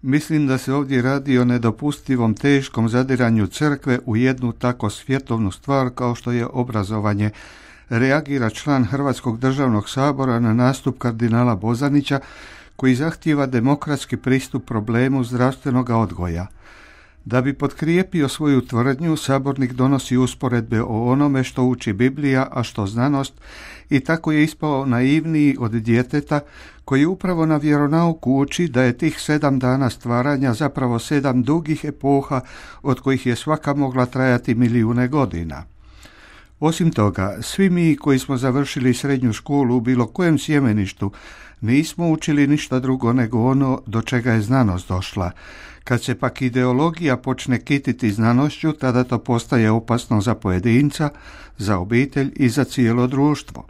Mislim da se ovdje radi o nedopustivom teškom zadiranju crkve u jednu tako svjetovnu stvar kao što je obrazovanje, reagira član Hrvatskog državnog sabora na nastup kardinala Bozanića koji zahtijeva demokratski pristup problemu zdravstvenog odgoja. Da bi potkrijepio svoju tvrdnju, sabornik donosi usporedbe o onome što uči Biblija, a što znanost, i tako je ispao naivniji od djeteta koji upravo na vjeronauku uči da je tih 7 dana stvaranja zapravo 7 dugih epoha od kojih je svaka mogla trajati milijune godina. Osim toga, svi mi koji smo završili srednju školu u bilo kojem sjemeništu nismo učili ništa drugo nego ono do čega je znanost došla. Kad se pak ideologija počne kititi znanošću, tada to postaje opasno za pojedinca, za obitelj i za cijelo društvo.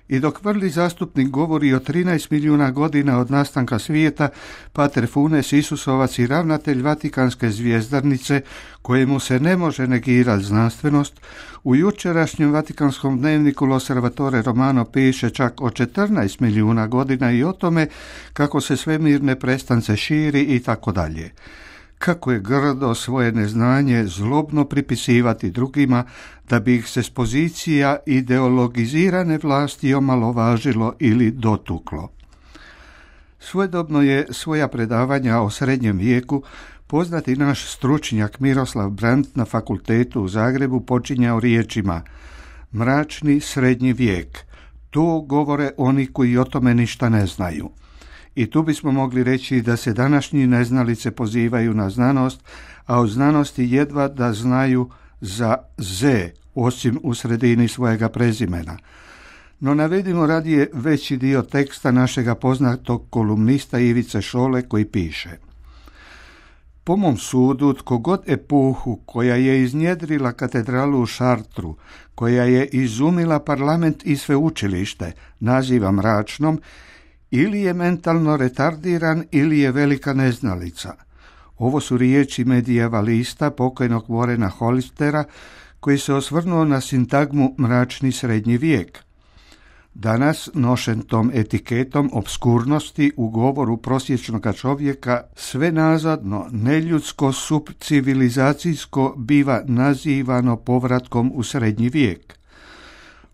I dok vrli zastupnik govori o 13 milijuna godina od nastanka svijeta, pater Funes Isusovac i ravnatelj Vatikanske zvjezdarnice, kojemu se ne može negirati znanstvenost, u jučerašnjem Vatikanskom dnevniku L'Osservatore Romano piše čak o 14 milijuna godina i o tome kako se svemir neprestance širi i tako dalje. Kako je grdo svoje neznanje zlobno pripisivati drugima da bi ih se s pozicija ideologizirane vlasti omalovažilo ili dotuklo. Svojedobno je svoja predavanja o srednjem vijeku poznati naš stručnjak Miroslav Brandt na fakultetu u Zagrebu počinjao riječima: mračni srednji vijek, to govore oni koji o tome ništa ne znaju. I tu bismo mogli reći da se današnji neznalice pozivaju na znanost, a o znanosti jedva da znaju za Z, osim u sredini svojega prezimena. No navedimo radije veći dio teksta našega poznatog kolumnista Ivice Šole koji piše: po mom sudu, tko god epohu koja je iznjedrila katedralu u Šartru, koja je izumila parlament i sveučilište, naziva mračnom, ili je mentalno retardiran ili je velika neznalica. Ovo su riječi medijevalista pokojnog Warrena Hollistera koji se osvrnuo na sintagmu mračni srednji vijek. Danas, nošen tom etiketom obskurnosti u govoru prosječnog čovjeka, sve nazadno, neljudsko, subcivilizacijsko biva nazivano povratkom u srednji vijek.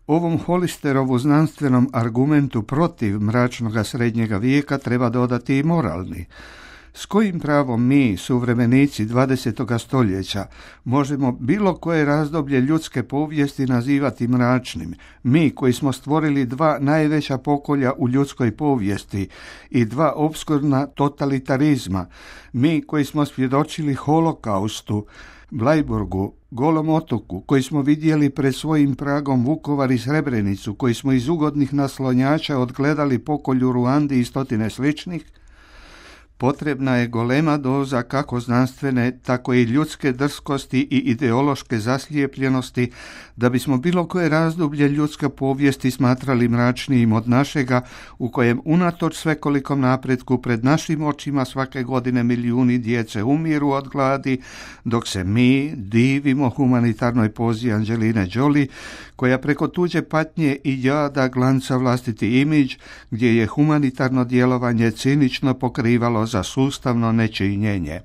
Ovom Hollisterovu znanstvenom argumentu protiv mračnoga srednjega vijeka treba dodati i moralni. S kojim pravom mi, suvremenici 20. stoljeća, možemo bilo koje razdoblje ljudske povijesti nazivati mračnim? Mi koji smo stvorili 2 najveća pokolja u ljudskoj povijesti i 2 opskurna totalitarizma, mi koji smo svjedočili holokaustu, Bleiburgu, Golom otoku, koji smo vidjeli pred svojim pragom Vukovar i Srebrenicu, koji smo iz ugodnih naslonjača odgledali pokolj u Ruandi i stotine sličnih, potrebna je golema doza kako znanstvene, tako i ljudske drskosti i ideološke zaslijepljenosti da bismo bilo koje razdoblje ljudske povijesti smatrali mračnijim od našega, u kojem unatoč svekolikom napretku pred našim očima svake godine milijuni djece umiru od gladi, dok se mi divimo humanitarnoj pozi Angeline Jolie, koja preko tuđe patnje i jada glanca vlastiti imidž, gdje je humanitarno djelovanje cinično pokrivalo za sustavno nečinjenje.